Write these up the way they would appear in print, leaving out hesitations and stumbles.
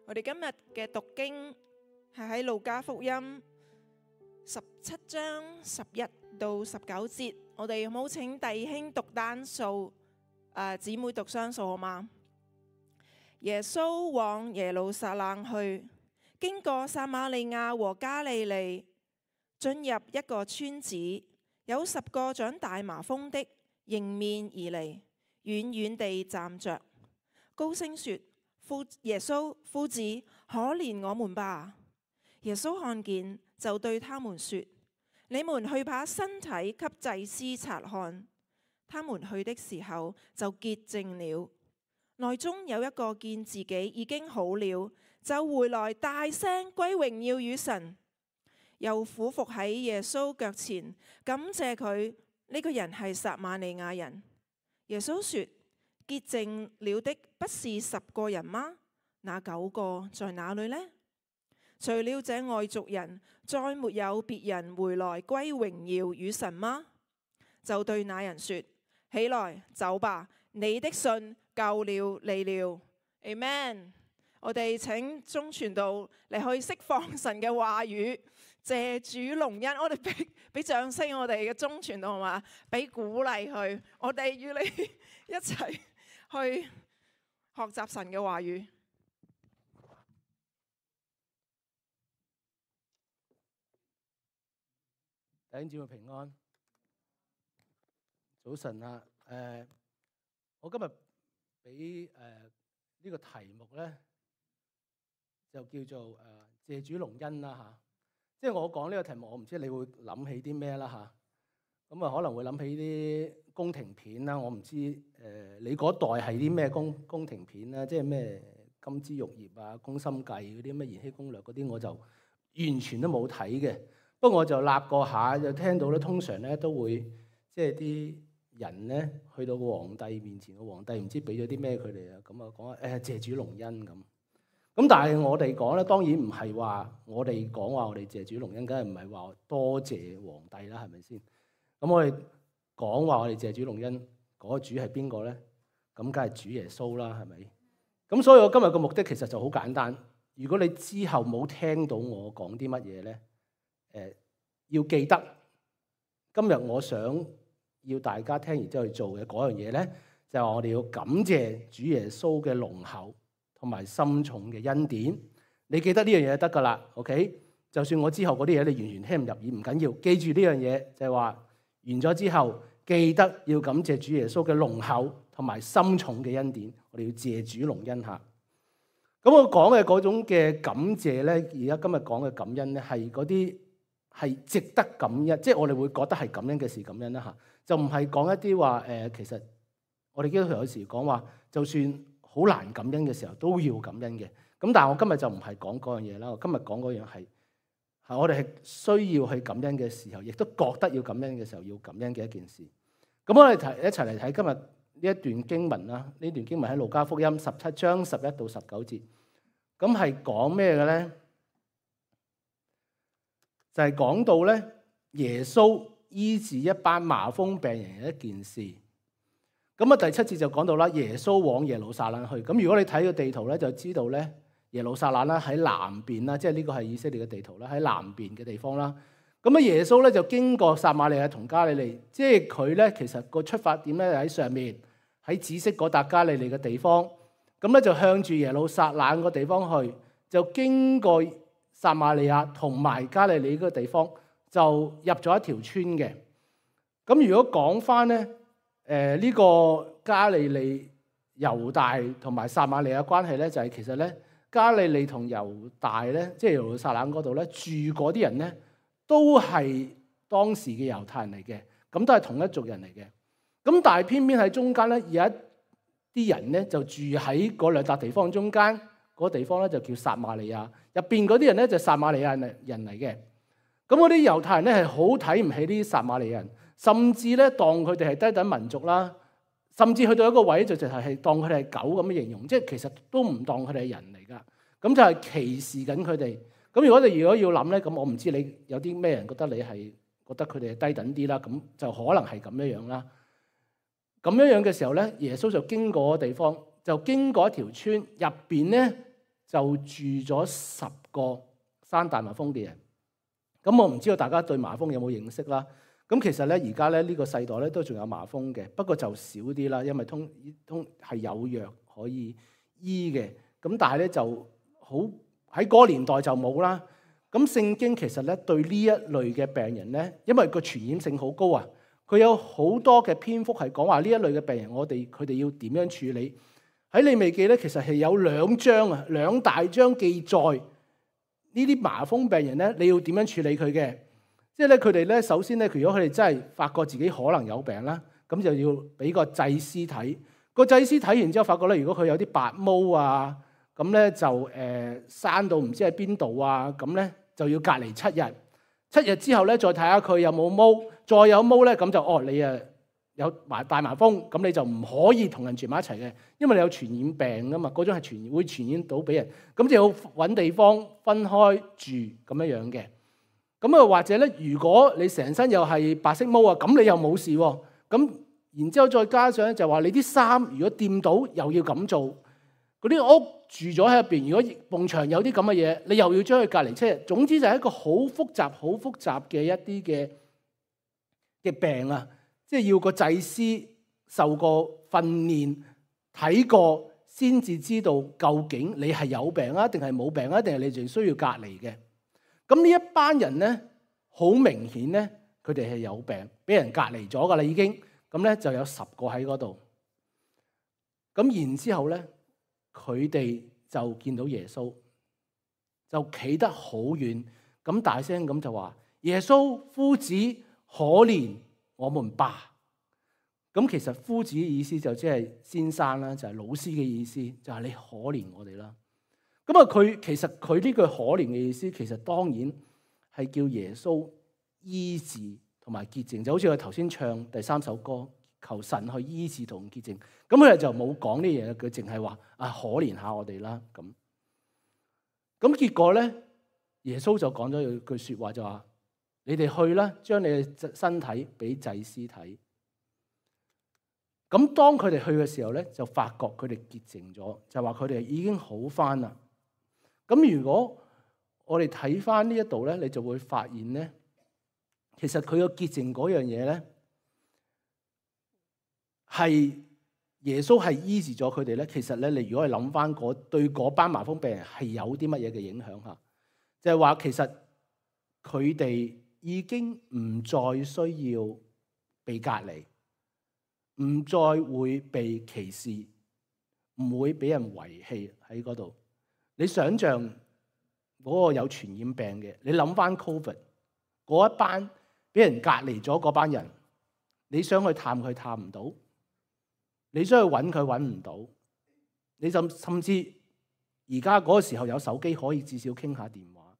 我哋今日嘅讀經係喺路加福音17章11到19節。我哋有冇請弟兄讀單數，姊妹讀雙數好嗎？耶穌往耶路撒冷去，經過撒瑪利亞和加利利，進入一個村子，有10個長大麻風的迎面而嚟，遠遠地站着，高聲說：耶穌夫子，可憐我們吧！耶穌看見，就對他們說：你們去把身體給祭司察看。他們去的時候，就潔淨了。內中有一個見自己已經好了，就回來大聲歸榮耀與神，又俯伏喺耶穌腳前，感謝佢。呢個人係撒瑪利亞人。耶穌說：潔淨了的不是10個人嗎？那9個在哪裏呢？除了這外族人，再沒有別人回來歸榮耀與神嗎？就對那人說：起來，走吧，你的信救了你了。Amen。我哋請鐘傳道嚟去釋放神嘅話語，謝主隆恩。我哋俾掌聲，我哋嘅鐘傳道，好嘛？俾鼓勵佢，我哋與你一齊去學習神嘅話語。弟兄姊妹平安，早晨啊！我今日俾呢個題目咧，就叫做謝主隆恩啦嚇。即係我講呢個題目，我唔知你會諗起啲咩啦嚇。咁啊可能會諗起啲宮廷片啦。我唔知你嗰代係啲咩宮廷片啦，即係咩金枝玉葉啊、宮心計嗰啲咩延禧攻略嗰啲，我就完全都冇睇嘅。不過我就立過下，就聽到咧，通常咧都會即係啲人咧去到個皇帝面前，個皇帝唔知俾咗啲咩佢哋啊，咁啊講謝主隆恩咁。咁但係我哋講咧，當然唔係話我哋講話我哋謝主隆恩，梗係唔係話多謝皇帝啦，係咪先？咁我哋講話我哋謝主隆恩，嗰個主係邊個咧？咁梗係主耶穌啦，係咪？咁所以我今日個目的其實就好簡單。如果你之後冇聽到我講啲乜嘢咧，要記得今日我想要大家聽完之後去做嘅嗰樣嘢咧，就係話我哋要感謝主耶穌嘅濃厚同埋深重嘅恩典。你記得呢樣嘢就得噶啦 ，OK？ 就算我之後嗰啲嘢你完全聽唔入耳唔緊要，記住呢樣嘢就係話完咗之後記得要感謝主耶穌嘅濃厚同埋深重嘅恩典。我哋要謝主隆恩下。咁我講嘅嗰種嘅感謝咧，而家今日講嘅感恩咧，係嗰啲係值得感恩，即係我哋會覺得係感恩嘅事感恩啦嚇，就唔係講一啲話其實我哋基督徒有時講話，就算好難感恩嘅時候都要感恩嘅。咁但係我今日就唔係講嗰樣嘢啦，我今日講嗰樣係我哋係需要去感恩嘅時候，亦都覺得要感恩嘅時候要感恩嘅一件事。咁我哋一齊嚟睇今日呢一段經文啦。呢段經文喺路加福音17章11到19節，咁係講咩嘅咧？就係講到咧，耶穌醫治一班麻風病人嘅一件事。咁啊，第7節就講到啦，耶穌往耶路撒冷去。咁如果你睇個地圖咧，就知道咧，耶路撒冷啦喺南邊啦，即係呢個係以色列嘅地圖啦，喺南邊嘅地方啦。咁啊，耶穌咧就經過撒瑪利亞同加利利，即係佢咧其實個出發點咧喺上面，喺紫色嗰笪加利利嘅地方。咁咧就向住耶路撒冷個地方去，就經過撒瑪利亞同埋加利利嗰個地方，就入咗一條村嘅。咁如果講翻咧，呢個加利利、猶大同埋撒瑪利亞關係咧，就係其實咧，加利利同猶大咧，即係耶路撒冷嗰度咧，住嗰啲人咧，都係當時嘅猶太人嚟嘅，咁都係同一族人嚟嘅。咁但係偏偏喺中間咧，有一啲人咧就住喺嗰兩笪地方中間。嗰個地方咧就叫撒瑪利亞，入邊嗰啲人咧就撒瑪利亞人嚟嘅。咁嗰啲猶太人咧係好睇唔起呢啲撒瑪利亞人，甚至咧當佢哋係低等民族啦，甚至去到一個位就係當佢哋係狗咁嘅形容，即係其實都唔當佢哋係人嚟噶。咁就係歧視緊佢哋。咁如果要諗咧，咁我唔知你有啲咩人覺得你係覺得佢哋係低等啲啦，咁就可能係咁樣啦。咁樣嘅時候咧，耶穌就經過個地方。就經過一條村，入邊咧就住咗10個生大麻風嘅人。咁我唔知道大家對麻風有冇認識啦。咁其實咧，而家咧呢個世代咧都仲有麻風嘅，不過就少啲啦，因為通係有藥可以醫嘅。咁但係咧就好喺嗰個年代就冇啦。咁聖經其實咧對呢一類嘅病人咧，因為個傳染性好高啊，佢有好多嘅篇幅係講話呢一類嘅病人，佢哋要點樣處理。喺利未記咧，其實係有2大章記載呢啲麻風病人咧，你要點樣處理佢嘅。即係咧，佢哋咧首先咧，如果佢哋真係發覺自己可能有病啦，咁就要俾個祭司睇。個祭司睇完之後，發覺咧，如果佢有啲白毛啊，咁咧就生到唔知喺邊度啊，咁咧就要隔離7日。7日之後咧，再睇下佢有冇毛，再有毛咧，咁就你有大麻風，咁你就唔可以同人住埋一齊嘅，因為你有傳染病噶嘛，嗰種係會傳染到俾人，咁就要揾地方分開住咁樣樣嘅。咁啊，或者咧，如果你成身又係白色毛啊，咁你又冇事喎。咁然之後再加上咧，就話你啲衫如果掂到又要咁做，嗰啲屋住咗喺入邊，如果埲牆有啲咁嘅嘢，你又要將佢隔離7日。總之就係一個好複雜嘅一啲嘅病啊，即係要個祭司受過訓練睇過先至知道究竟你係有病啊，定係冇病啊，定係你仲需要隔離嘅。咁呢一班人咧，好明顯咧，佢哋係有病，俾人隔離咗噶啦已經。咁咧就有10個喺嗰度。咁然之後咧，佢哋就見到耶穌，就企得好遠，咁大聲咁就話：耶穌夫子，可憐我們吧。咁其實夫子嘅意思就即係先生啦，就係老師嘅意思，就係你可憐我哋啦。咁啊，其實佢呢句可憐嘅意思，其實當然係叫耶穌醫治同埋潔淨，就好似我頭先唱第3首歌，求神去醫治同潔淨。咁佢哋就冇講呢嘢，佢淨係話可憐下我哋啦。咁結果咧，耶穌就講咗句説話，就話：你哋去啦，將你嘅身體俾祭司睇。咁當佢哋去嘅時候咧，就發覺佢哋潔淨咗，就話佢哋已經好返啦。咁如果我哋睇翻呢一度咧，你就會發現咧，其實佢個潔淨嗰樣嘢咧，係耶穌係醫治咗佢哋咧。其實咧，你如果係諗翻對嗰班麻風病人係有啲乜嘢嘅影響嚇，就係話其實佢哋已經唔再需要被隔離，唔再會被歧視，唔會俾人遺棄喺嗰度。你想象嗰個有傳染病嘅，你諗翻 Covid 嗰一班俾人隔離咗嗰班人，你想去探佢探唔到，你想去揾佢揾唔到，你甚至而家嗰個時候有手機可以至少傾下電話，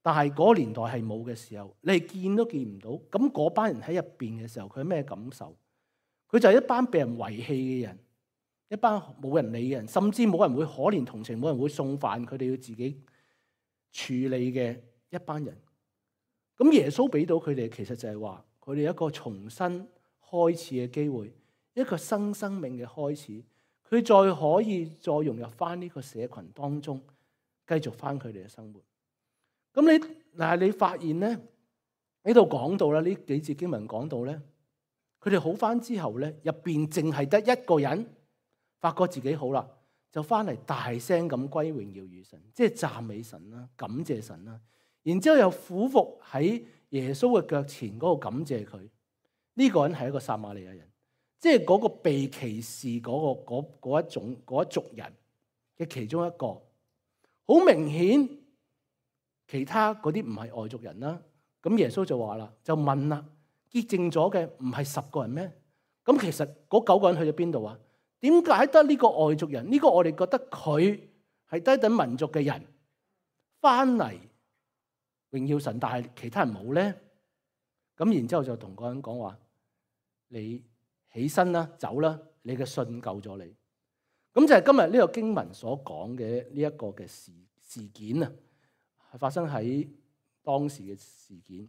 但係嗰個年代係冇嘅時候，你係見都見唔到。咁嗰班人喺入邊嘅時候，佢係咩感受？佢就係一班被人遺棄嘅人，一班冇人理嘅人，甚至冇人會可憐同情，冇人會送飯，佢哋要自己處理嘅一班人。咁耶穌俾到佢哋，其實就係話佢哋一個重新開始嘅機會，一個新生命嘅開始。佢再可以再融入翻呢個社群當中，繼續翻佢哋嘅生活。咁你發現咧，呢度講到啦，呢幾節經文講到咧，佢哋好翻之後咧，入邊淨係得一個人發覺自己好啦，就翻嚟大聲咁歸榮耀與神，即係讚美神啦，感謝神啦。然之後又俯伏喺耶穌嘅腳前嗰度感謝佢。呢個人係一個撒瑪利亞人，即係嗰個被歧視嗰一族人嘅其中一個。好明顯，其他嗰啲唔係外族人啦。咁耶穌就話啦，就問啦，潔淨咗嘅唔係10個人咩？咁其實嗰9個人去咗邊度啊？點解得呢個外族人？呢個我哋覺得佢係低等民族嘅人翻嚟榮耀神，但係其他人冇咧。咁然之後就同嗰人講話：你起身啦，走啦，你嘅信救咗你。咁就係今日呢個經文所講嘅呢一個嘅事件啊，係發生喺當時嘅事件。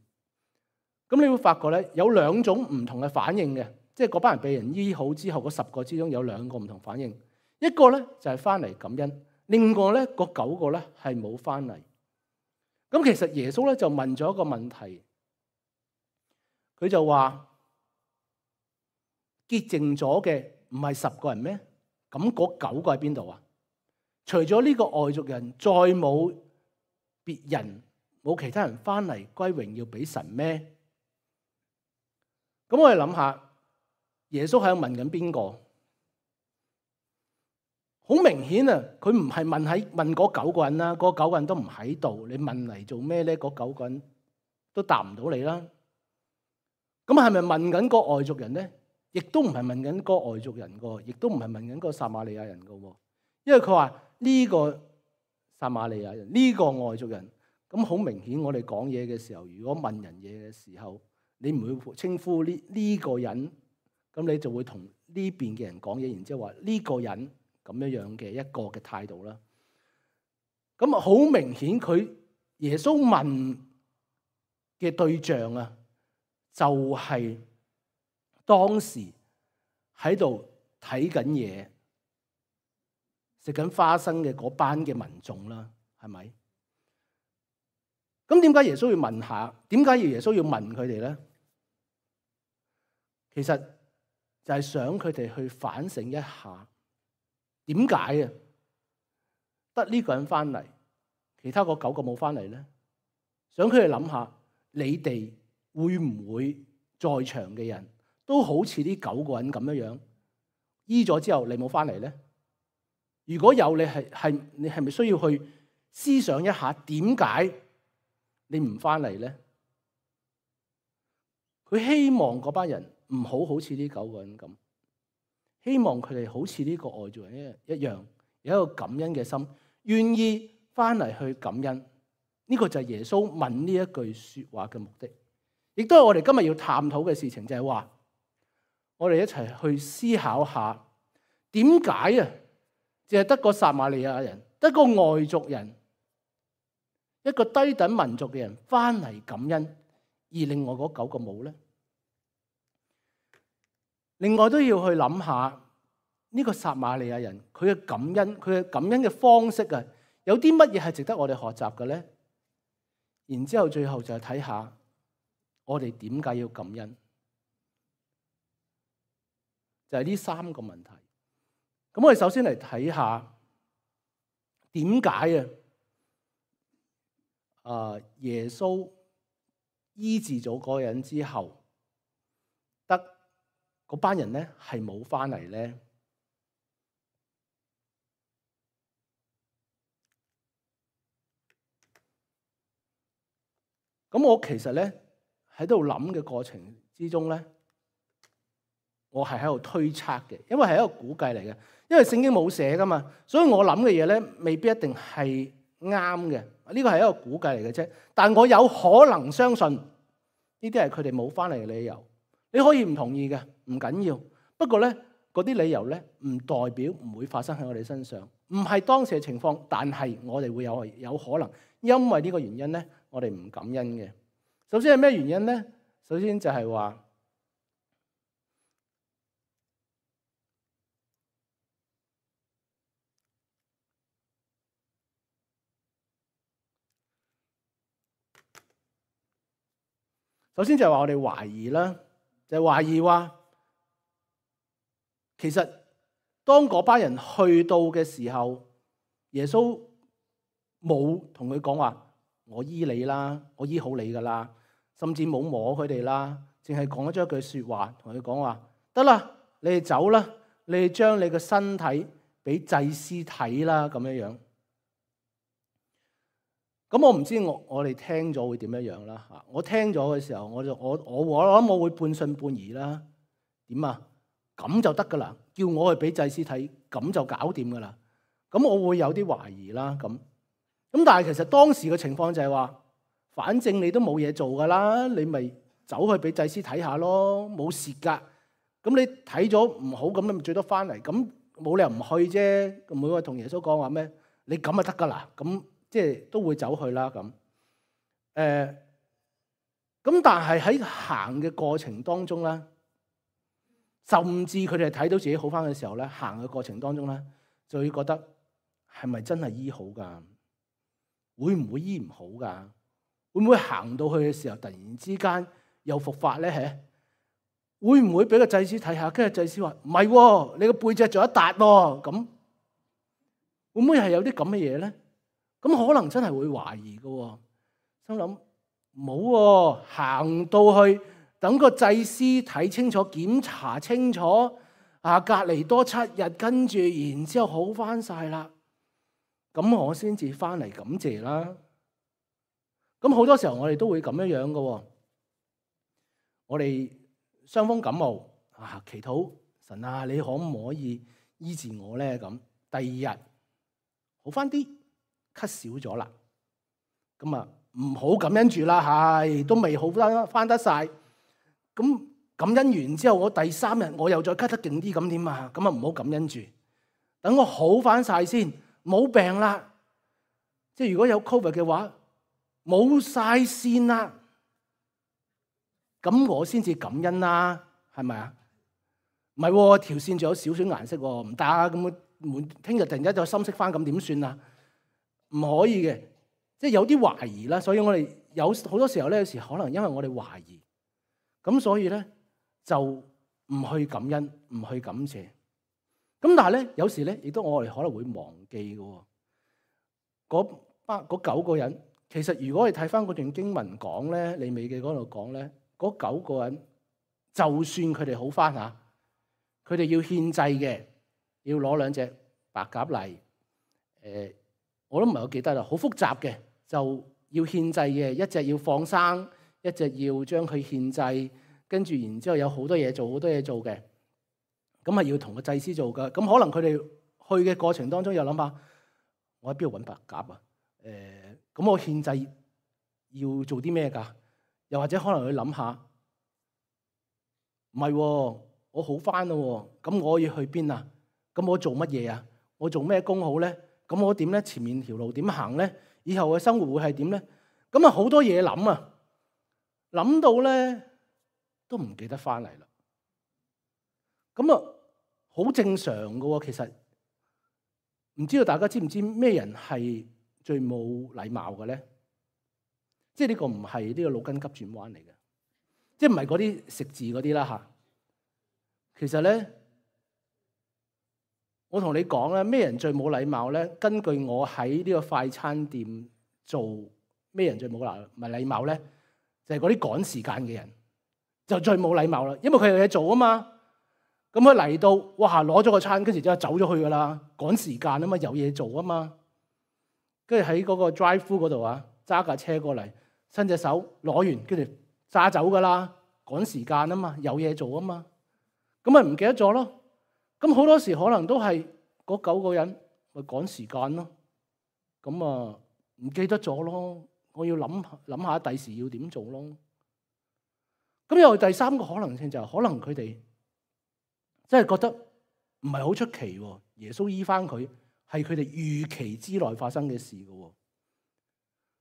咁你會發覺咧，有2種唔同嘅反應嘅，即係嗰班人被人醫好之後，嗰10個之中有2個唔同反應。一個咧就係翻嚟感恩，另外咧嗰9個咧係冇翻嚟。咁其實耶穌咧就問咗一個問題，佢就話潔淨咗嘅唔係10個人咩？咁嗰9個喺邊度啊？除咗呢個外族人，再冇別人，冇其他人翻嚟歸榮耀俾神咩？咁我哋諗下，耶穌喺度問緊邊個？好明顯啊，佢唔係問嗰9個人啦，嗰9個人都唔喺度，你問嚟做咩咧？嗰9個人都答唔到你啦。咁係咪問緊個外族人咧？亦都唔係問緊個外族人個，亦都唔係問緊個撒瑪利亞人個。因為佢話呢個撒瑪利亞人，呢個外族人，咁好明顯，我哋講嘢嘅時候，如果問人嘢嘅時候，你唔會稱呼呢個人，咁你就會同呢邊嘅人講嘢，然之後話呢個人咁樣嘅一個嘅態度啦。咁好明顯，佢耶穌問嘅對象啊，就係當時喺度睇緊嘢、食緊花生嘅嗰班嘅民眾啦，係咪？咁點解耶穌要問下？點解耶穌要問佢哋咧？其實就係想佢哋去反省一下，點解啊？得呢個人翻嚟，其他嗰9個冇翻嚟咧？想佢哋諗下，你哋會唔會在場嘅人都好似呢9個人咁樣醫咗之後，你冇翻嚟咧？如果有，你係咪需要去思想一下，點解你唔翻嚟咧？佢希望嗰班人唔好似呢9個人咁，希望佢哋好似呢個外族人一樣，有一個感恩嘅心，願意翻嚟去感恩。呢個就係耶穌問呢一句說話嘅目的，亦都係我哋今日要探討嘅事情，就係話我哋一齊去思考下，點解啊？淨係得個撒瑪利亞人，得個外族人，一個低等民族嘅人翻嚟感恩，而另外嗰9個冇咧？另外都要去諗下呢個撒瑪利亞人佢嘅感恩，佢嘅感恩嘅方式啊，有啲乜嘢係值得我哋學習嘅咧？然之後最後就係睇下我哋點解要感恩，就係呢3個問題。咁我哋首先嚟睇下點解耶穌醫治咗嗰個人之後，得嗰班人咧係冇翻嚟咧？咁我其實咧喺度諗嘅過程之中咧，我係喺度推測嘅，因為係一個估計嚟嘅，因為聖經冇寫噶嘛，所以我諗嘅嘢咧未必一定係啱嘅。呢個係一個估計嚟嘅啫，但我有可能相信呢啲係佢哋冇翻嚟嘅理由。你可以唔同意嘅，唔緊要。不過咧，嗰啲理由咧唔代表唔會發生喺我哋身上，唔係當時嘅情況，但係我哋會有可能因為呢個原因咧，我哋唔感恩嘅。首先係咩原因咧？首先就係話，我哋懷疑啦，就係懷疑話，其實當嗰班人去到嘅時候，耶穌冇同佢講話，我醫你啦，我醫好你噶啦，甚至冇摸佢哋啦，淨係講咗一句說話，同佢講話，得啦，你哋走啦，你哋將你嘅身體俾祭司睇啦，咁樣樣。咁我唔知我哋聽咗會點樣樣啦嚇。我聽咗嘅時候，我諗我會半信半疑啦。點啊？咁就得噶啦？叫我去俾祭司睇，咁就搞掂噶啦？咁我會有啲懷疑啦。咁但係其實當時嘅情況就係話，反正你都冇嘢做噶啦，你咪走去俾祭司睇下咯，冇事噶。咁你睇咗唔好，咁你咪最多翻嚟。咁冇理由唔去啫。咁每個同耶穌講話咩？你咁就得噶啦。咁即係都會走去啦。咁咁但係喺行嘅過程當中咧，甚至佢哋睇到自己好翻嘅時候咧，行嘅過程當中咧，就會覺得係咪真係醫好㗎？會唔會醫唔好㗎？會唔會行到去嘅時候突然之間又復發咧？會唔會俾個祭司睇下？跟住祭司話唔係喎，你個背脊仲有一笪喎，咁會唔會係有啲咁嘅嘢咧？咁可能真係會懷疑嘅，心諗冇喎，行到去等個祭司睇清楚、檢查清楚，隔離多7日，跟住然之後好翻晒啦，咁我先至翻嚟感謝啦。咁好多時候我哋都會咁樣樣嘅，我哋傷風感冒祈禱神啊，你可唔可以醫治我咧？咁第二日好翻啲，咳少咗啦，咁啊唔好感恩住啦，係都未好翻得晒。咁感恩完之後，我第3日我又再咳得勁啲，咁點啊？咁啊唔好感恩住，等我好翻晒先，冇病啦。即係如果有 COVID 嘅話，冇晒線啦，咁我先至感恩啦，係咪啊？唔係喎，條線仲有少少顏色喎，唔得啊！咁聽日突然間就深色翻，咁點算啊？唔可以嘅，即係有啲懷疑啦。所以我哋有好多時候咧，有時可能因為我哋懷疑，咁所以咧就唔去感恩，唔去感謝。咁但係咧，有時咧亦都我哋可能會忘記嘅。嗰9個人。其實如果你睇翻嗰段經文講咧，利未記嗰度講咧，嗰9個人就算佢哋好翻嚇，佢哋要獻祭嘅，要攞2隻白鴿嚟，我都唔係好記得啦，好複雜嘅，就要獻祭嘅，一隻要放生，一隻要將佢獻祭，跟住然之後有好多嘢做，好多嘢做嘅，咁係要同個祭司做噶。咁可能佢哋去嘅過程當中又諗下，我喺邊度揾白鴿啊？咁我獻祭要做啲咩㗎？又或者可能去諗下，唔係喎，我好翻咯喎，咁我要去邊啊？咁我做乜嘢啊？我做咩工好咧？咁我點咧？前面條路點行咧？以後嘅生活會係點咧？咁啊好多嘢諗啊，諗到咧都唔記得翻嚟啦。咁啊好正常㗎喎，其實唔知道大家知唔知咩人係最冇禮貌嘅咧？即係呢個唔係呢個腦筋急轉彎嚟嘅，即係唔係嗰啲食字嗰啲啦嚇。其實咧，我同你講咧，咩人最冇禮貌咧？根據我喺呢個快餐店做，咩人最冇禮貌咧？就係嗰啲趕時間嘅人，就最冇禮貌啦。因為佢有嘢做啊嘛。咁佢嚟到，哇！攞咗個餐，跟住之後走咗去噶啦，趕時間啊嘛，有嘢做啊嘛。跟住喺嗰個 drive-thru 嗰度啊，揸架車過嚟，伸隻手攞完，跟住揸走噶啦，趕時間啊嘛，有嘢做啊嘛。咁咪唔記得咗咯。咁好多時可能都係嗰9個人咪趕時間咯。咁啊唔記得咗咯。我要諗下第時要點做咯。咁又第3個可能性就係可能佢哋真係覺得唔係好出奇喎。耶穌醫翻佢係佢哋預期之內發生嘅事嘅喎。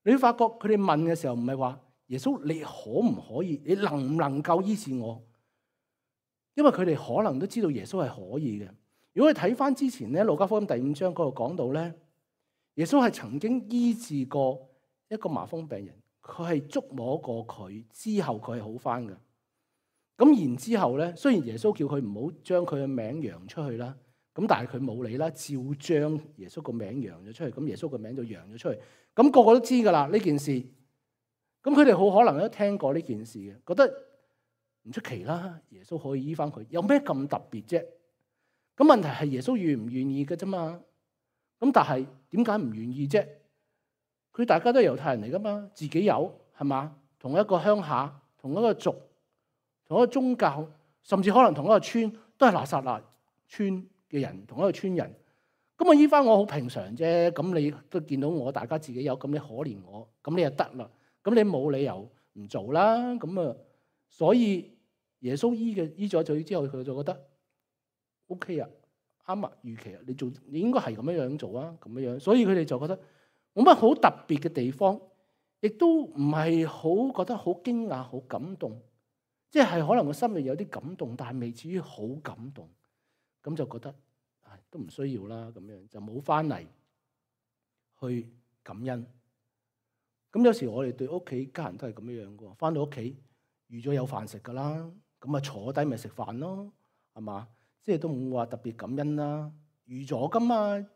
你會發覺佢哋問嘅時候唔係話耶穌你可唔可以，你能唔能夠醫治我？因為佢哋可能都知道耶穌係可以嘅。如果你睇翻之前咧，路加福音第5章嗰度講到咧，耶穌係曾經醫治過一個麻風病人，佢係觸摸過佢之後佢係好翻嘅。咁然之後咧，雖然耶穌叫佢唔好將佢嘅名揚出去啦，咁但係佢冇理啦，照將耶穌個名揚咗出去。咁耶穌個名就揚咗出去。咁個個都知噶啦呢件事。咁佢哋好可能都聽過呢件事嘅，覺得唔出奇啦。耶穌可以醫翻佢，有咩咁特別啫？咁問題係耶穌願唔願意嘅啫嘛。咁但係點解唔願意啫？佢大家都係猶太人嚟噶嘛，自己有係嘛？同一個鄉下，同一個族，同一個宗教，甚至可能同一個村，都係拿撒勒村嘅人，同一個村人。咁我醫翻我好平常啫。咁你都見到我，大家自己有，咁你可憐我，咁你就得啦。咁你冇理由唔做啦。咁啊，所以耶穌醫咗罪之後，佢就覺得 OK 啊，啱啊，預期啊，你應該係咁樣做啊，咁樣。所以佢哋就覺得冇乜好特別嘅地方，亦都唔係好覺得好驚訝、好感動。即係可能個心裏有啲感動，但係未至於好感動。咁就覺得都唔需要啦，咁樣就冇翻嚟去感恩。咁有時我哋對屋企家人都係咁樣樣嘅喎，翻到屋企預咗有飯食㗎啦，咁啊坐低咪食飯咯，係嘛？即係都唔會話特別感恩啦，預咗㗎嘛，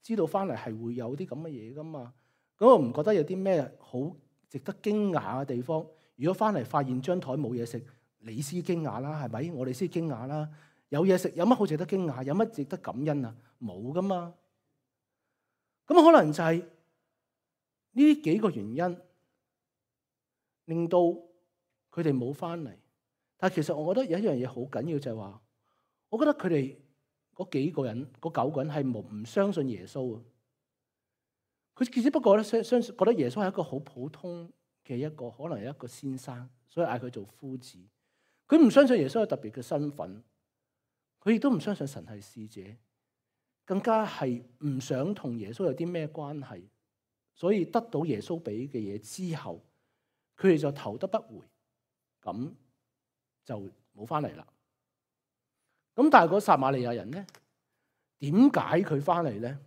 知道翻嚟係會有啲咁嘅嘢㗎嘛。咁我唔覺得有啲咩好值得驚訝嘅地方。如果翻嚟發現張台冇嘢食，你先驚訝啦，係咪？我哋先驚訝啦。有嘢食有乜好值得驚訝？有乜值得感恩啊？冇㗎嘛。咁可能就係呢幾個原因令到佢哋冇翻嚟。但係其實我覺得有一樣嘢好緊要，就係話，我覺得佢哋嗰幾個人嗰9個人係唔相信耶穌啊。佢只不過咧相信覺得耶穌係一個好普通嘅一個可能係一個先生，所以嗌佢做夫子。佢唔相信耶穌有特別嘅身份，佢亦都唔相信神係使者，更加係唔想同耶穌有啲咩關係。所以得到耶穌俾嘅嘢之後，佢哋就頭都不回，咁就冇翻嚟啦。咁但係個撒瑪利亞人咧，點解佢翻嚟咧？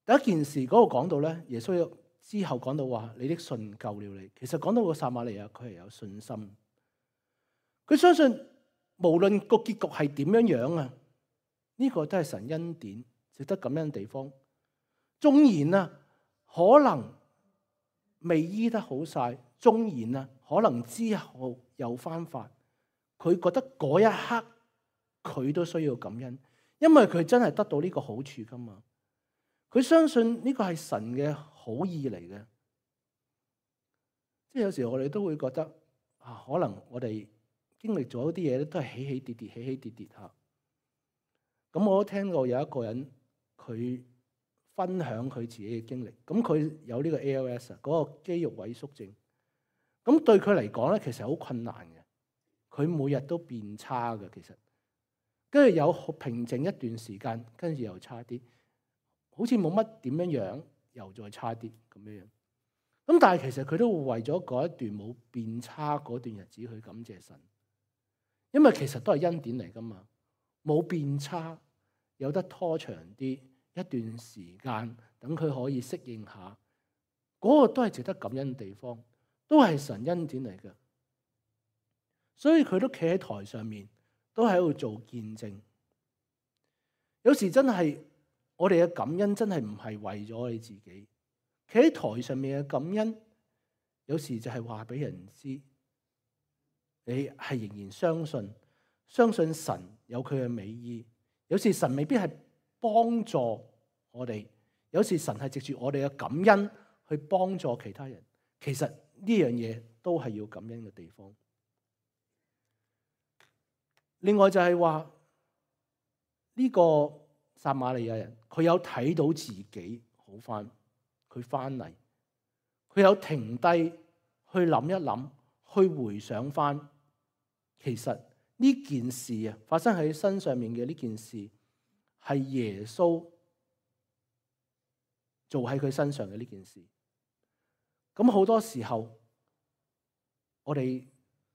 第一件事嗰度講到咧，耶穌之後講到話：你的信救了你。其實講到個撒瑪利亞，佢係有信心，佢相信無論個結局係點樣樣啊，呢個都係神恩典，值得感恩嘅地方。縱然啊，可能未醫得好晒，縱然啊，可能之後又翻發，佢覺得嗰一刻佢都需要感恩，因為佢真係得到呢個好處噶嘛。佢相信呢個係神嘅好意嚟嘅。即係有時我哋都會覺得啊，可能我哋經歷咗啲嘢咧，都係起起跌跌，起起跌跌嚇。咁我都聽過有一個人佢分享佢自己嘅經歷。咁佢有呢個 ALS 啊，嗰個肌肉萎縮症。咁對佢嚟講咧，其實好困難嘅。佢每日都變差嘅，其實跟住有平靜一段時間，跟住又差啲。好似冇乜點樣樣，又再差啲咁樣樣。咁但係其實佢都會為咗嗰一段冇變差嗰段日子去感謝神，因為其實都係恩典嚟噶嘛。冇變差，有得拖長啲一段時間，等佢可以適應下，嗰個都係值得感恩嘅地方，都係神恩典嚟嘅。所以佢都企喺台上面，都喺度做見證。有時真係。我哋嘅感恩真係唔係為咗你自己，企喺台上面嘅感恩，有時就係話俾人知，你係仍然相信神有佢嘅美意。有時神未必係幫助我哋，有時神係藉住我哋嘅感恩去幫助其他人。其實呢樣嘢都係要感恩嘅地方。另外就係話呢個撒瑪利亞人，佢有睇到自己好翻，佢翻嚟，佢有停低去諗一諗，去回想翻，其實呢件事啊，發生喺身上面嘅呢件事，係耶穌做喺佢身上嘅呢件事。咁好多時候，我哋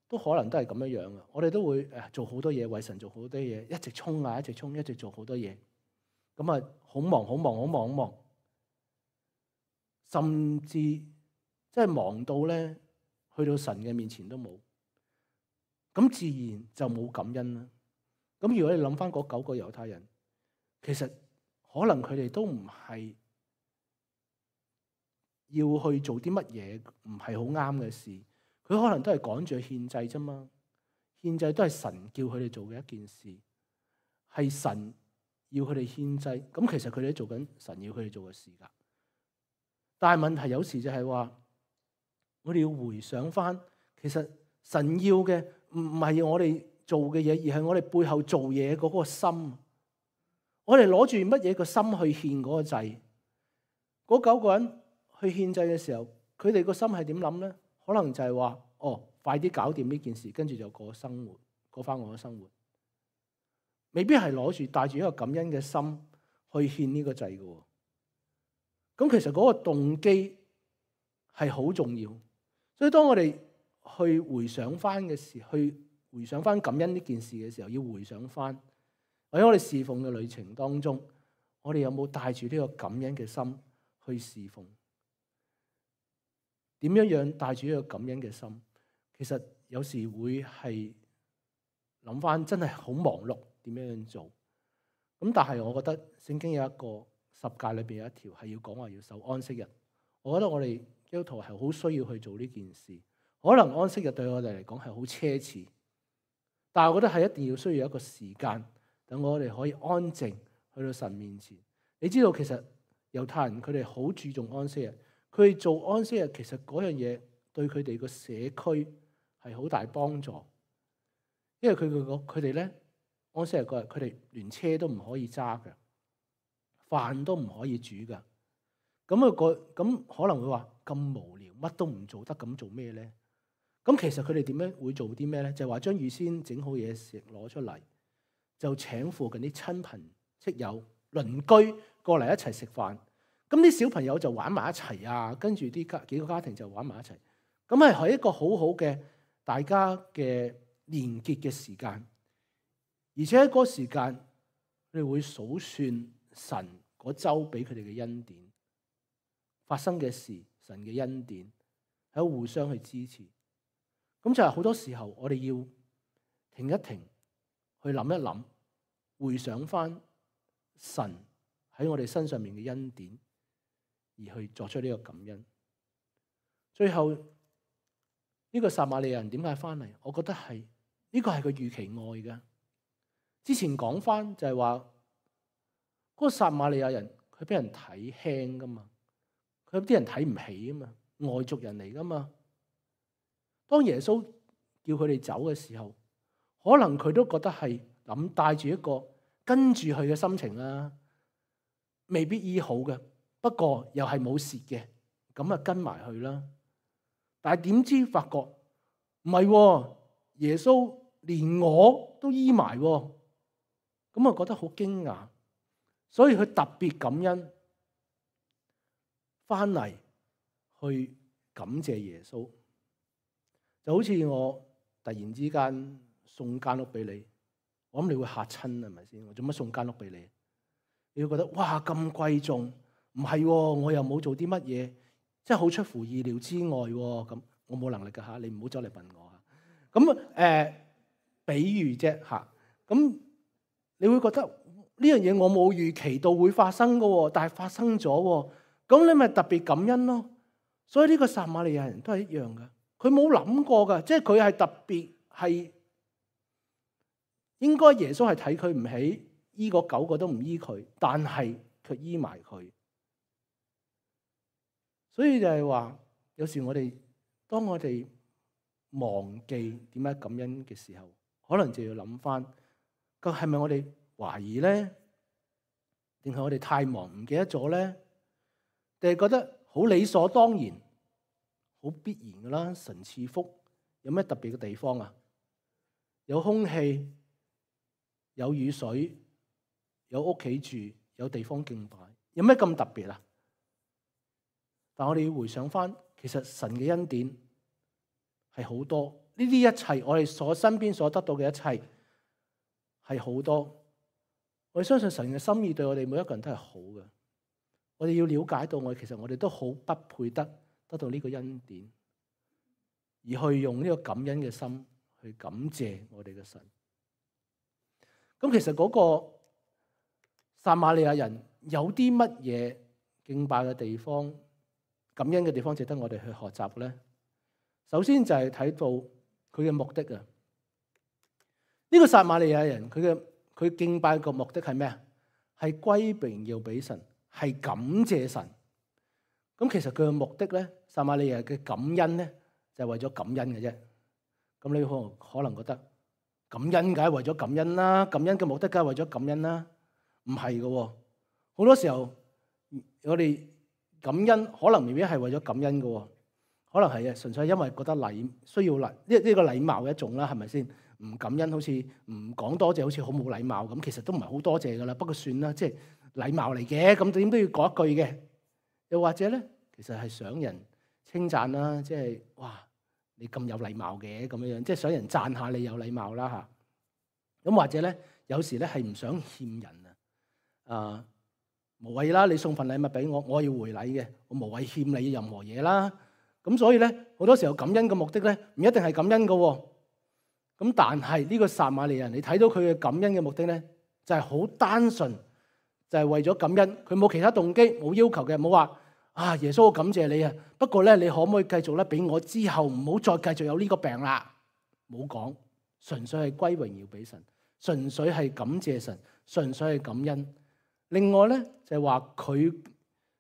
都可能都係咁樣樣嘅，我哋都會做好多嘢，為神做好多嘢，一直衝啊，一直衝，一直做好多嘢。咁啊，好忙，甚至即係忙到咧，去到神嘅面前都冇，咁自然就冇感恩啦。咁如果你諗翻嗰9個猶太人，其實可能佢哋都唔係要去做啲乜嘢唔係好啱嘅事，佢可能都係趕住去獻祭啫嘛。獻祭都係神叫佢哋做嘅一件事，係神要佢哋獻祭，咁其實佢哋都做緊神要佢哋做嘅事噶。但係問題有時就係話，我哋要回想翻，其實神要嘅唔係我哋做嘅嘢，而係我哋背後做嘢嗰個心。我哋攞住乜嘢個心去獻嗰個祭？嗰9個人去獻祭嘅時候，佢哋個心係點諗咧？可能就係話，快啲搞掂呢件事，跟住就過翻我嘅生活。未必係攞住帶住一個感恩嘅心去獻呢個祭嘅。咁其實嗰個動機係好重要。所以當我哋去回想翻嘅時，去回想翻感恩呢件事嘅時候，要回想翻，或者我哋侍奉嘅旅程當中，我哋有冇帶住呢個感恩嘅心去侍奉？點樣帶住呢個感恩嘅心？其實有時會係諗翻，真係好忙碌，點樣做？咁但係我覺得聖經有一個十誡裏邊有一條係要講話要守安息日。我覺得我哋基督徒係好需要去做呢件事。可能安息日對我哋嚟講係好奢侈，但係我覺得係一定要需要一個時間，等我哋可以安靜去到神面前。你知道其實猶太人佢哋好注重安息日，佢哋做安息日其實嗰樣嘢對佢哋個社區係好大幫助，因為佢哋咧安息日嗰日佢哋連車都唔可以揸嘅，飯都唔可以煮嘅。咁可能會話咁無聊，乜都唔做得，咁做咩咧？咁其實佢哋點樣會做啲咩咧？就係話將預先整好嘢食攞出嚟，就請附近啲親朋戚友、鄰居過嚟一齊食飯。咁啲小朋友就玩埋一齊啊，跟住幾個家庭就玩埋一齊。咁係一個好好嘅大家嘅連結嘅時間，而且喺嗰個時間，佢哋會數算神嗰週俾佢哋嘅恩典，發生嘅事，神嘅恩典，喺度互相去支持。咁就係好多時候，我哋要停一停，去諗一諗，回想翻神喺我哋身上面嘅恩典，而去作出呢個感恩。最後呢個撒瑪利亞人點解翻嚟？我覺得係呢個係佢預期愛嘅。之前講翻就係話，嗰個撒瑪利亞人佢俾人睇輕噶嘛，佢有啲人睇唔起啊嘛，外族人嚟噶嘛。當耶穌叫佢哋走嘅時候，可能佢都覺得係諗帶住一個跟住佢嘅心情啦，未必醫好嘅，不過又係冇蝕嘅，咁啊跟埋去啦。但係點知發覺唔係，耶穌連我都醫埋，咁啊覺得好驚訝，所以佢特別感恩，翻嚟去感謝耶穌。就好似我突然之間送間屋俾你，我諗你會嚇親，係咪先？我做乜送間屋俾你？你會覺得哇咁貴重，唔係，我又冇做啲乜嘢，真係好出乎意料之外。咁我冇能力㗎嚇，你唔好走嚟問我嚇。咁比喻啫嚇，咁你會覺得呢樣嘢我冇預期到會發生㗎，但係發生咗，咁你咪特別感恩咯。所以呢個撒瑪利亞人都係一樣㗎。佢冇諗過噶，即係佢係特別係應該耶穌係睇佢唔起，醫個9個都唔醫佢，但係卻醫埋佢。所以就係話，有時當我哋忘記點解感恩嘅時候，可能就要諗翻，咁係咪我哋懷疑咧？定係我哋太忙唔記得咗咧？定係覺得好理所當然？好必然噶啦，神賜福有咩特別嘅地方啊？有空氣，有雨水，有屋企住，有地方敬拜，有咩咁特別啊？但我哋要回想翻，其實神嘅恩典係好多，呢啲一切我哋身邊所得到嘅一切係好多。我哋相信神嘅心意對我哋每一個人都係好嘅。我哋要了解到其實我哋都好不配得到呢個恩典，而去用呢個感恩嘅心去感謝我哋嘅神。咁其實嗰個撒瑪利亞人有啲乜嘢敬拜嘅地方、感恩嘅地方值得我哋去學習咧？首先就係睇到佢嘅目的啊！呢個撒瑪利亞人佢敬拜嘅目的係咩啊？係歸榮耀俾神，係感謝神。咁其實佢嘅目的咧，撒瑪利亞嘅感恩咧，就係為咗感恩嘅啫。咁你可能覺得感恩梗係為咗感恩啦，感恩嘅目的梗係為咗感恩啦，唔係嘅。好多時候我哋感恩可能未必係為咗感恩嘅，可能係純粹係因為覺得需要呢個禮貌嘅一種啦，係咪先？唔感恩好似唔講多謝，好似好冇禮貌咁。其實都唔係好多謝噶啦，不過算啦，即係禮貌嚟嘅，咁點都要講一句嘅。又或者咧，其實係想人稱讚啦，即係哇，你咁有禮貌嘅咁樣樣，即係想人讚下你有禮貌啦嚇。咁或者咧，有時咧係唔想欠人啊，無謂啦，你送份禮物俾我，我要回禮嘅，我無謂欠你任何嘢啦。咁所以咧，好多時候感恩嘅目的咧，唔一定係感恩嘅喎。咁但係呢個撒瑪利人，你睇到佢嘅感恩嘅目的咧，就係好單純，就係為咗感恩，佢冇其他動機，冇要求嘅，冇話啊耶穌我感謝你啊，不過咧你可唔可以繼續咧俾我之後唔好再繼續有呢個病啦？冇講，純粹係歸榮耀俾神，純粹係感謝神，純粹係感恩。另外咧就係話佢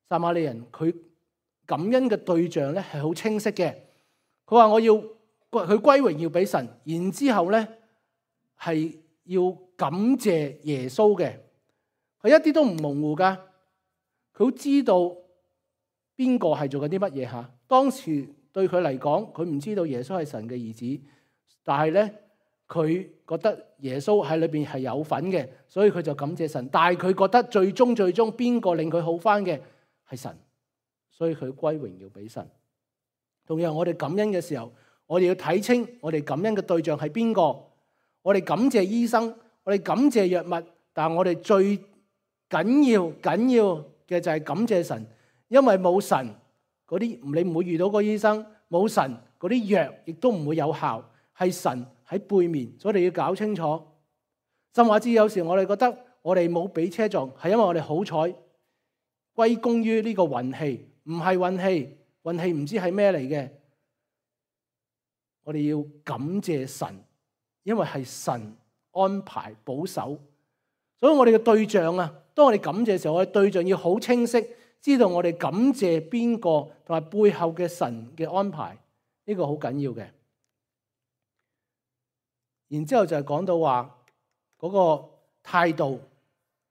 撒瑪利人佢感恩嘅對象咧係好清晰嘅，佢話我要佢歸榮耀俾神，然之後咧係要感謝耶穌嘅，佢一啲都唔模糊噶，佢好知道邊個係做緊啲乜嘢吓。當時對佢嚟講，佢唔知道耶穌係神嘅兒子，但係咧佢覺得耶穌喺裏邊係有份嘅，所以佢就感謝神。但係佢覺得最終邊個令佢好翻嘅係神，所以佢歸榮耀俾神。同樣我哋感恩嘅時候，我哋要睇清我哋感恩嘅對象係邊個。我哋感謝醫生，我哋感謝藥物，但係我哋最緊要嘅就係感謝神，因為冇神嗰啲你唔會遇到個醫生，冇神嗰啲藥亦都唔會有效，係神喺背面，所以我哋要搞清楚。甚至有時我哋覺得我哋冇俾車撞，係因為我哋好彩，歸功於呢個運氣，唔係運氣，運氣唔知係咩嚟嘅。我哋要感謝神，因為係神安排保守，所以我哋嘅對象啊，當我哋感謝嘅時候，我哋對象要好清晰，知道我哋感謝邊個，同埋背後嘅神嘅安排，呢個好緊要嘅。然之後就係講到話嗰個態度，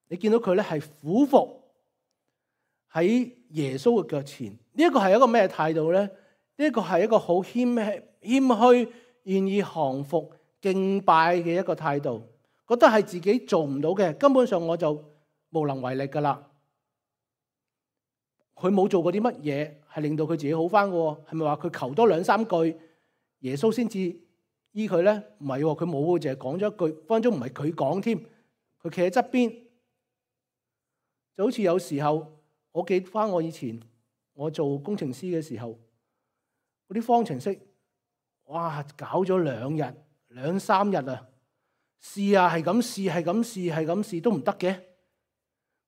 你見到佢咧係俯伏喺耶穌嘅腳前，呢一個係一個咩態度咧？呢一個係一個好謙虛、願意降服、敬拜嘅一個態度，覺得係自己做唔到嘅，根本上我就無能為力噶啦。佢冇做過啲乜嘢係令到佢自己好翻嘅，係咪話佢求多2-3句耶穌先至醫佢咧？唔係，佢冇，淨係講咗一句，分分鐘唔係佢講添，佢企喺側邊，就好似有時候我記翻我以前我做工程師嘅時候，嗰啲方程式，哇，搞咗2-3日啊，試啊，係咁試都唔得嘅，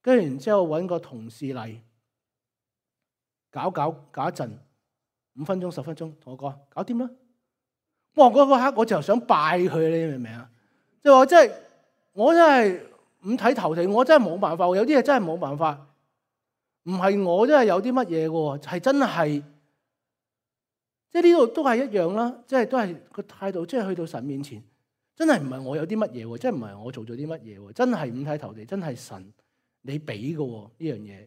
跟住然之後揾個同事嚟搞一陣，5分鐘10分鐘，同我講搞掂啦。哇！嗰刻我就想拜佢，你明唔明啊？即係話我真係五體投地，我真係冇辦法，有啲嘢真係冇辦法，唔係我真係有啲乜嘢嘅，係真係。即係呢度都係一樣啦，即係都係個態度，即係去到神面前，真係唔係我有啲乜嘢，即係唔係我做咗啲乜嘢，真係五體投地，真係神你俾嘅呢樣嘢。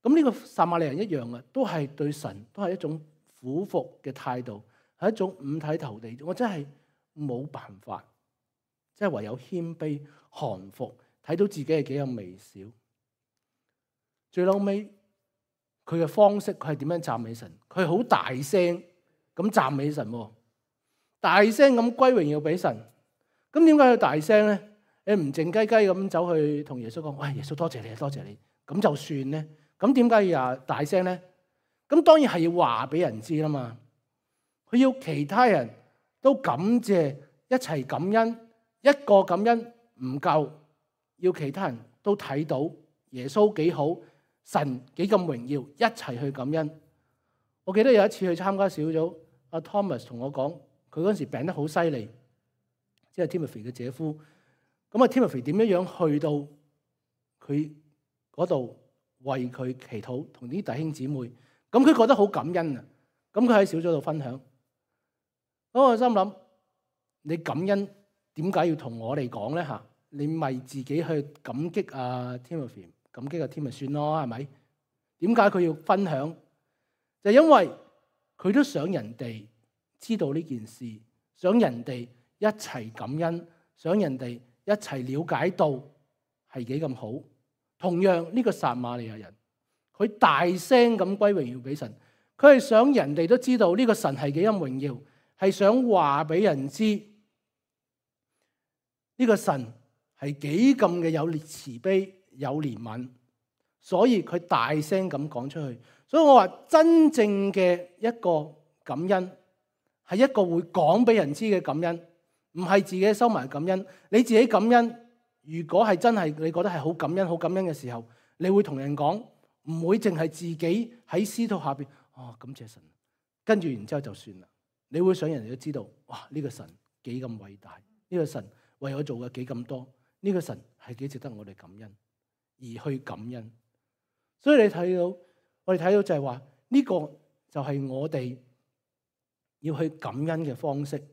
咁呢個撒瑪利人一樣啊，都係對神都係一種俯伏嘅態度，係一種五體投地。我真係冇辦法，即係唯有謙卑降服，睇到自己係幾咁微小。最後尾。佢嘅方式，佢係點樣讚美神？佢係好大聲咁讚美神，大聲咁歸榮耀俾神。咁點解要大聲咧？你唔靜雞雞咁走去同耶穌講，喂，耶穌多謝你，多謝你，咁就算咧？咁點解要大聲咧？咁當然係要話俾人知啦嘛。佢要其他人都感謝，一齊感恩，一個感恩唔夠，要其他人都睇到耶穌幾好。神幾咁榮耀，一齊去感恩。我記得有一次去參加小組，阿 Thomas 同我講，佢嗰時病得好犀利，即係 Timothy 嘅姐夫。咁啊 Timothy 點樣去到佢嗰度為佢祈禱，同啲弟兄姊妹。咁佢覺得好感恩啊。咁佢喺小組度分享。咁我心諗，你感恩點解要同我哋講咧？嚇，你咪自己去感激阿 Timothy。感激個天咪算咯，係咪？點解佢要分享？就因為佢都想人哋知道呢件事，想人哋一齊感恩，想人哋一齊了解到係幾咁好。同樣呢個撒瑪利亞人，佢大聲咁歸榮耀俾神，佢係想人哋都知道呢個神係幾咁榮耀，係想話俾人知呢個神係幾咁嘅有慈悲。有憐憫，所以佢大聲咁講出去。所以我話真正嘅一個感恩係一個會講俾人知嘅感恩，唔係自己收埋感恩。你自己感恩，如果係真係你覺得係好感恩、好感恩嘅時候，你會同人講，唔會淨係自己喺司徒下邊感謝神，跟住然之後就算啦。你會想人哋都知道，哇！呢個神幾咁偉大，呢個神為我做嘅幾咁多，呢個神係幾值得我哋感恩而去感恩。所以我哋睇到就係話呢個就係我哋要去感恩嘅方式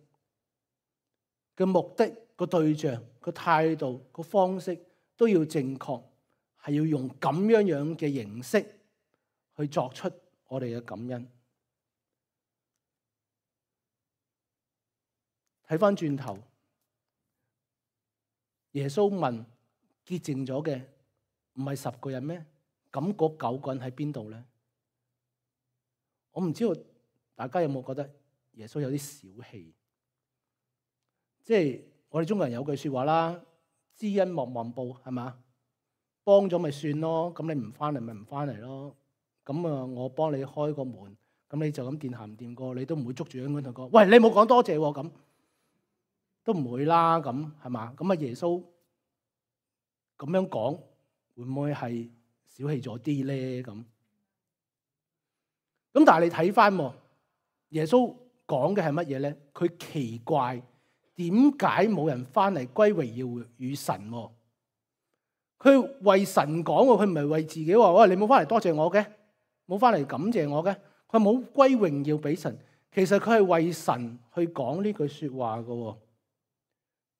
嘅目的、個對象、個態度、個方式都要正確，係要用咁樣嘅形式去作出我哋嘅感恩。睇翻轉頭，耶穌問潔淨咗嘅唔係10個人咩？咁嗰9個人喺邊度咧？我唔知道大家有冇覺得耶穌有啲小氣？即係我哋中國人有句説話啦，知恩莫忘報，係嘛？幫咗咪算咯，咁你唔翻嚟咪唔翻嚟咯。咁啊，我幫你開個門，咁你就咁掂行唔掂過，你都唔會捉住香港同講，喂，你冇講多謝喎，咁都唔會啦，咁係嘛？咁啊，耶穌咁樣講，會唔會係小氣咗啲咧？咁但係你睇翻耶穌講嘅係乜嘢咧？佢奇怪點解冇人翻嚟歸榮耀與神？佢為神講喎，佢唔係為自己話，喂，你冇翻嚟多謝我嘅，冇翻嚟感謝我嘅，佢冇歸榮耀俾神。其實佢係為神去講呢句説話嘅。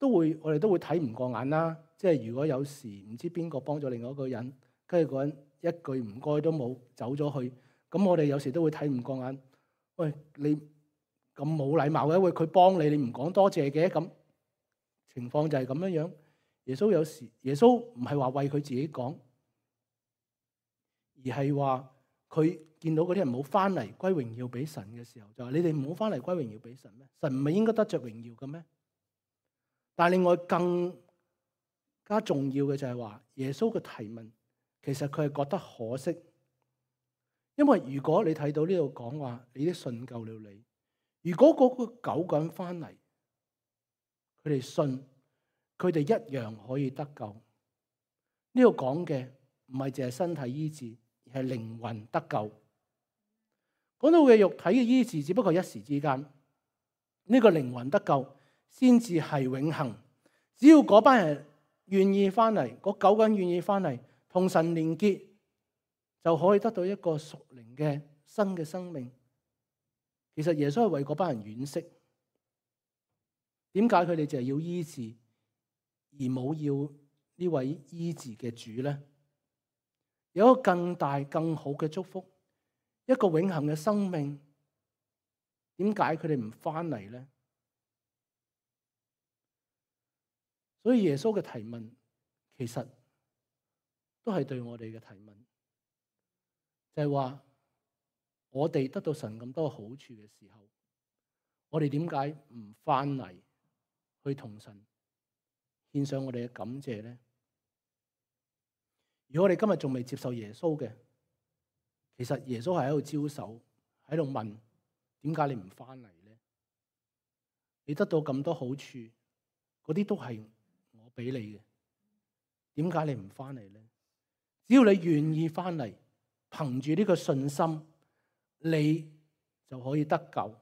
我哋都會睇唔過眼啦。即係如果有時唔知邊個幫咗另外一個人，跟住嗰人一句唔該都冇走咗去，咁我哋有時都會睇唔過眼。喂，你咁冇禮貌嘅，喂，佢幫你，你唔講多謝嘅，咁情況就係咁樣樣。耶穌唔係話為佢自己講，而係話佢見到嗰啲人冇翻嚟歸榮耀俾神嘅時候，就話你哋唔好翻嚟歸榮耀俾神咩？神唔係應該得着榮耀嘅咩？但係另外更加重要嘅就係話，耶穌嘅提問其實佢係覺得可惜，因為如果你睇到呢度講話，你的信救了你。如果嗰個9個人翻嚟，佢哋信，佢哋一樣可以得救。呢度講嘅唔係淨係身體醫治，而係靈魂得救。講到嘅肉體嘅醫治，只不過一時之間，呢個靈魂得救先至係永恆。只要嗰班人願意翻嚟，嗰9個人願意翻嚟，同神連結，就可以得到一個屬靈嘅新嘅生命。其實耶穌係為嗰班人惋惜，點解佢哋淨係要醫治，而冇要呢位醫治嘅主咧？有一個更大更好嘅祝福，一個永恆嘅生命，點解佢哋唔翻嚟咧？所以耶穌嘅提問其實都係對我哋嘅提問，就係話我哋得到神咁多好處嘅時候，我哋點解唔翻嚟去同神獻上我哋嘅感謝咧？如果我哋今日仲未接受耶穌嘅，其實耶穌係喺度招手，喺度問，點解你唔翻嚟咧？你得到咁多好處，嗰啲都係我俾你嘅，點解你唔翻嚟咧？只要你願意翻嚟，憑住呢個信心，你就可以得救。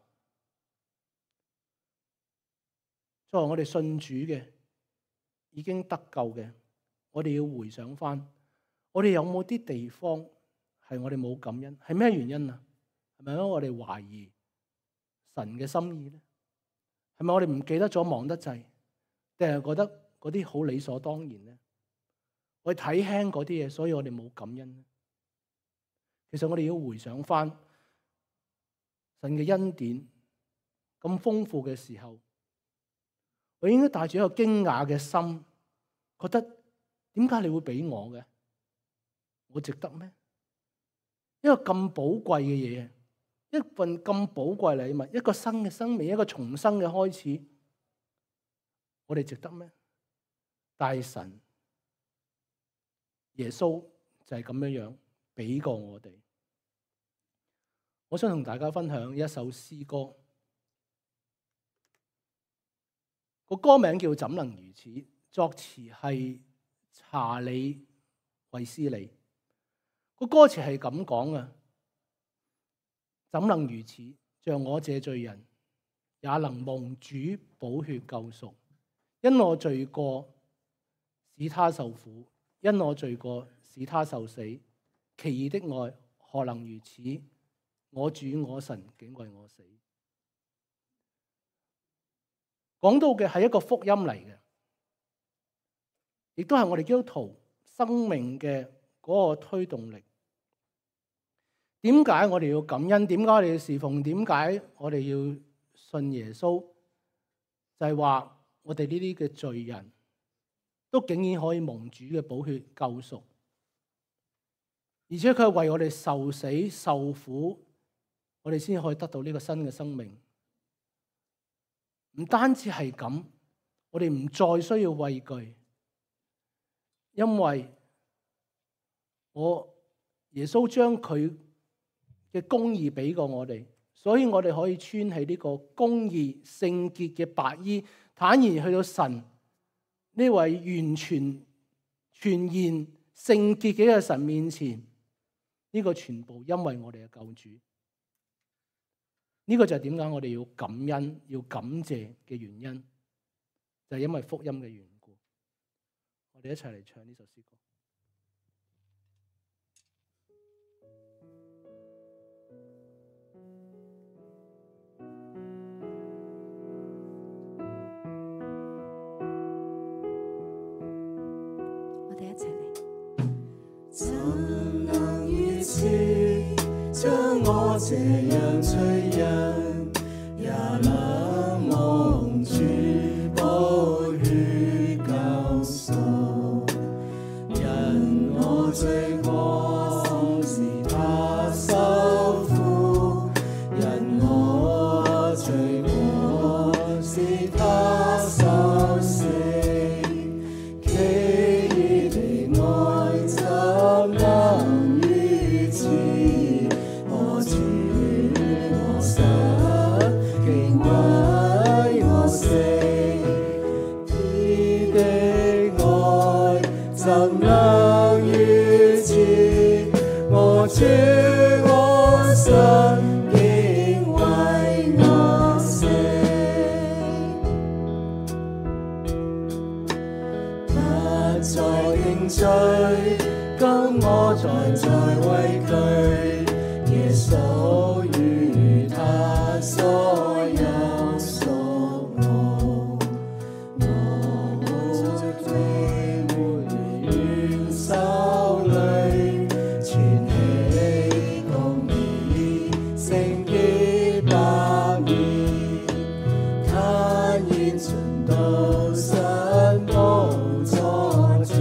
作為我哋信主嘅，已經得救嘅，我哋要回想翻，我哋有冇啲地方係我哋冇感恩？係咩原因啊？係咪因為我哋懷疑神嘅心意咧？係咪我哋唔記得咗，忙得滯，定係覺得嗰啲好理所當然咧？我哋睇輕嗰啲嘢，所以我哋冇感恩咧。其實我哋要回想翻神嘅恩典咁豐富嘅時候，我應該帶住一個驚訝嘅心，覺得點解你會俾我嘅？我值得咩？一個咁寶貴嘅嘢，一份咁寶貴禮物，一個新嘅生命，一個重生嘅開始，我哋值得咩？大神耶穌就係咁樣樣俾過我哋。我想同大家分享一首詩歌，個歌名叫《怎能如此》，作詞係查理衛斯理。個歌詞係咁講啊：怎能如此？像我這罪人，也能蒙主寶血救贖。因我罪過，使他受苦；因我罪過，使他受死。奇異的愛，何能如此？我主我神竟為我死。講到嘅係一個福音嚟嘅，亦都係我哋基督徒生命嘅嗰個推動力。點解我哋要感恩？點解我哋要侍奉？點解我哋要信耶穌？就係話我哋呢啲嘅罪人都竟然可以蒙主嘅寶血救贖，而且佢係為我哋受死受苦，我哋先可以得到呢個新嘅生命。唔單止係咁，我哋唔再需要畏懼，因為耶穌將佢嘅公義俾過我哋，所以我哋可以穿起呢個公義聖潔嘅白衣，坦然去到神呢位完全全然聖潔嘅一個神面前。呢個全部因為我哋嘅救主。呢個就係點解我哋要感恩、要感謝嘅原因，就係因為福音嘅緣故。我哋一齊嚟唱呢首詩歌。我哋一齊嚟。怎能如此，將我這樣罪人，也能蒙主寶血救贖。因我罪過，使他受苦；因我罪過，使他受死。主我神竟為我死，不再認罪，今我在畏懼，耶穌與他所有屬我，我罪沒怨手裏存起公義聖潔白面，坦然進到神寶座前，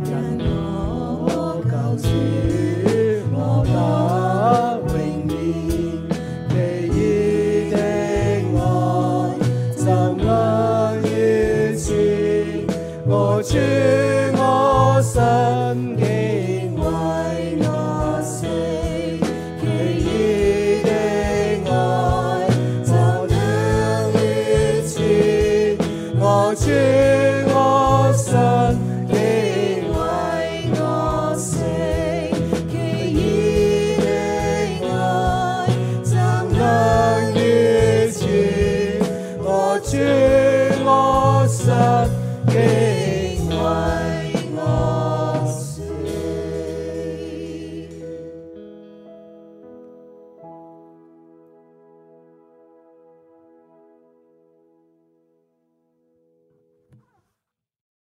因我救主